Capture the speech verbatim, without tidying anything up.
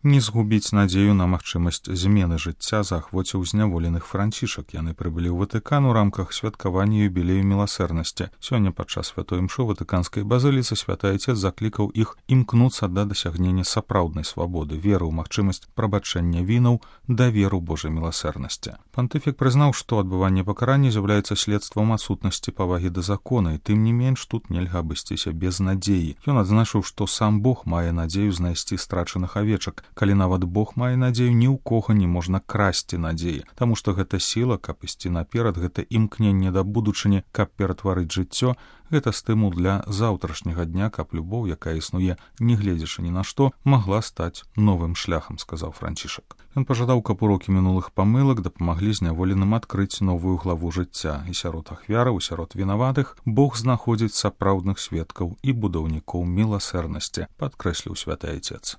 Не згубіць надзею на магчымасць змены жыцця заахвоціў зняволеных францішак. Яны прыбылі ў Ватыкан у рамках святкавання юбілею міласэрнасці. Сёння падчас святой імшы ватыканскай базыліцы святы Айцец заклікаў іх імкнуцца да дасягнення сапраўднай свабоды, веры ў магчымасць прабачэння вінаў, даверу Божай міласэрнасці. Пантыфік прызнаў, што адбыванне пакарання з'яўляецца следствам адсутнасці павагі да закона, і тым не менш тут нельга абысціся без надзеі. Ён адзначыў, што сам Бог мае надзею знайсці страчаных авечак. Калі нават Бог мае надзею, ні ў кога не можна красці надзеі, таму што гэта сіла, каб ісці наперад, гэта імкненне да будучыні, каб ператварыць жыццё, гэта стымул для заўтрашняга дня, каб любоў, якая існуе, не гледзячы ні на што, магла стаць новым шляхам, сказаў Францішак. Ён пажадаў, каб урокі мінулых памылак дапамаглі зняволеным адкрыць новую главу жыцця, і сярод ахвяраў, і сярод вінаватых Бог знаходзіць сапраўдных сведкаў і будаўнікоў міласэрнасці, падкрэсліў святы Айцец.